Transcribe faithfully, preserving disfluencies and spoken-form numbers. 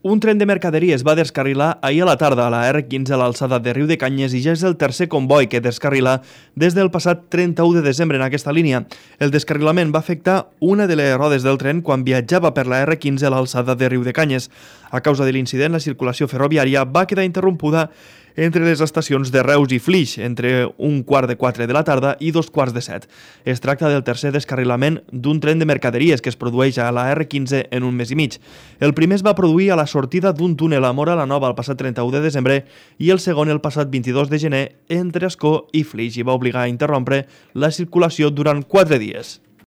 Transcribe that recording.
Un tren de mercaderies va descarrilar ahir a la tarda a la erre quinze a l'alçada de Riudecanyes i ja és el tercer comboi que descarrila des del passat trenta-u de desembre en aquesta línia. El descarrilament va afectar una de les rodes del tren quan viatjava per la erre quinze a l'alçada de Riudecanyes. A causa de l'incident, la circulació ferroviària va quedar interrompuda entre les estacions de Reus i Flix, entre un quart de quatre de la tarda i dos quarts de set. Es tracta del tercer descarrilament d'un tren de mercaderies que es produeix a la erre quinze en un mes i mig. El primer es va produir a la sortida d'un túnel a Móra la Nova el passat trenta-u de desembre i el segon el passat vint-i-dos de gener entre Ascó i Flix i va obligar a interrompre la circulació durant quatre dies.